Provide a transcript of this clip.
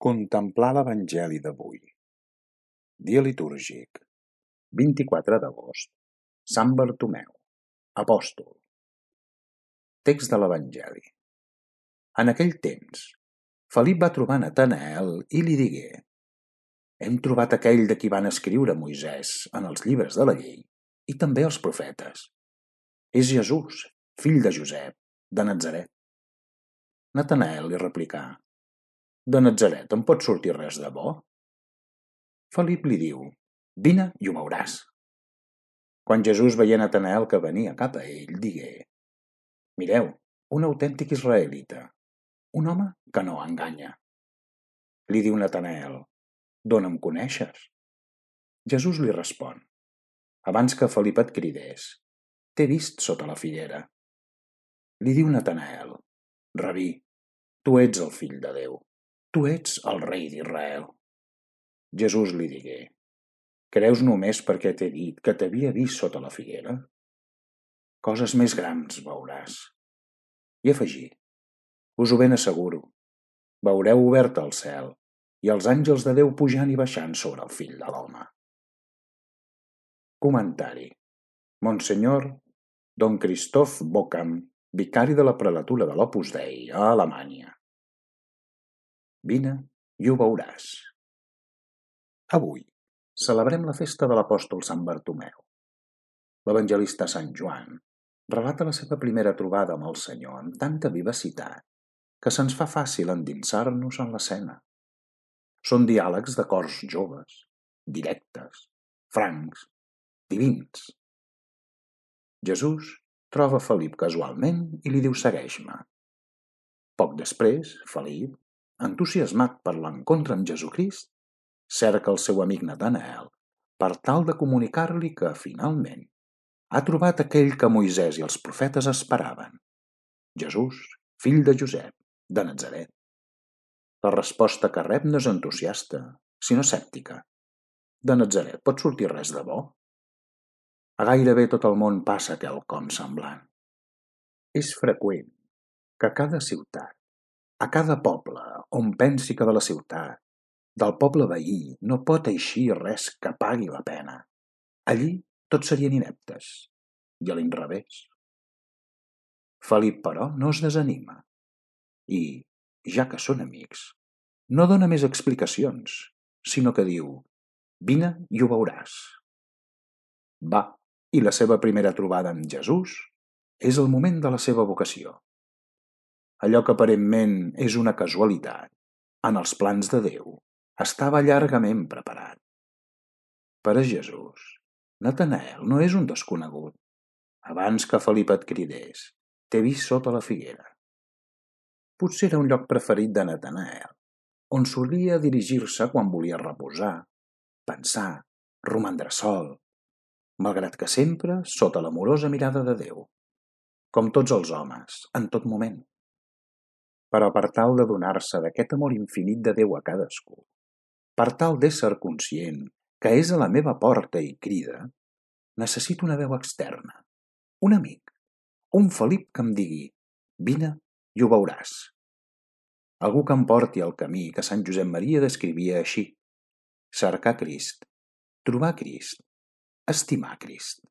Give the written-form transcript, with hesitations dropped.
Contemplar l'Evangeli d'avui. Dia litúrgic. 24 d'agost. Sant Bartomeu, apòstol. Text de l'Evangeli. En aquell temps, Felip va trobar Natanael i li digué: hem trobat aquell de qui van escriure Moisès en els llibres de la llei i també els profetes. És Jesús, fill de Josep, de Natzaret. Natanael li replicà: de Natzaret en pot sortir res de bo? Felip li diu: vine i ho veuràs. Quan Jesús veia Natanael que venia cap a ell, digué: mireu, un autèntic israelita, un home que no enganya. Li diu Natanael: d'on em coneixes? Jesús li respon: abans que Felip et cridés, t'he vist sota la figuera. Li diu Natanael: Rabí, tu ets el fill de Déu, tu ets el rei d'Israel. Jesús li digué: creus només perquè t'he dit que t'havia vist sota la figuera? Coses més grans veuràs. I afegí: us ho ben asseguro, veureu obert el cel i els àngels de Déu pujant i baixant sobre el fill de l'home. Comentari. Monsenyor Don Christoph Bockam, vicari de la prelatura de l'Opus Dei a Alemanya. Vine i ho veuràs. Avui celebrem la festa de l'apòstol Sant Bartomeu. L'evangelista Sant Joan relata la seva primera trobada amb el Senyor amb tanta vivacitat que se'ns fa fàcil endinsar-nos en l'escena. Són diàlegs de cors joves, directes, francs, divins. Jesús troba Felip casualment i li diu: segueix-me. Poc després, Felip, entusiasmat per l'encontre amb Jesucrist, cerca el seu amic Natanael per tal de comunicar-li que, finalment, ha trobat aquell que Moisès i els profetes esperaven: Jesús, fill de Josep, de Natzaret. La resposta que rep no és entusiasta, sinó escèptica. De Natzaret pot sortir res de bo? A gairebé tot el món passa quelcom semblant. És freqüent que a cada ciutat, a cada poble on pensi que de la ciutat, del poble veí, no pot eixir res que pagui la pena, allí tots serien ineptes, i a l'inrevés. Felip, però, no es desanima i, ja que són amics, no dona més explicacions, sinó que diu: vine i ho veuràs. Va, i la seva primera trobada amb Jesús és el moment de la seva vocació. Allò que aparentment és una casualitat, en els plans de Déu, estava llargament preparat. Per a Jesús, Natanael no és un desconegut. Abans que Felip et cridés, t'he vist sota la figuera. Potser era un lloc preferit de Natanael, on solia dirigir-se quan volia reposar, pensar, romandre sol, malgrat que sempre sota l'amorosa mirada de Déu, com tots els homes, en tot moment. Però per tal de donar-se d'aquest amor infinit de Déu a cadascú, per tal d'ésser conscient que és a la meva porta i crida, necessito una veu externa, un amic, un Felip que em digui: vine i ho veuràs. Algú que em porti al camí que Sant Josep Maria descrivia així: cercar Crist, trobar Crist, estimar Crist.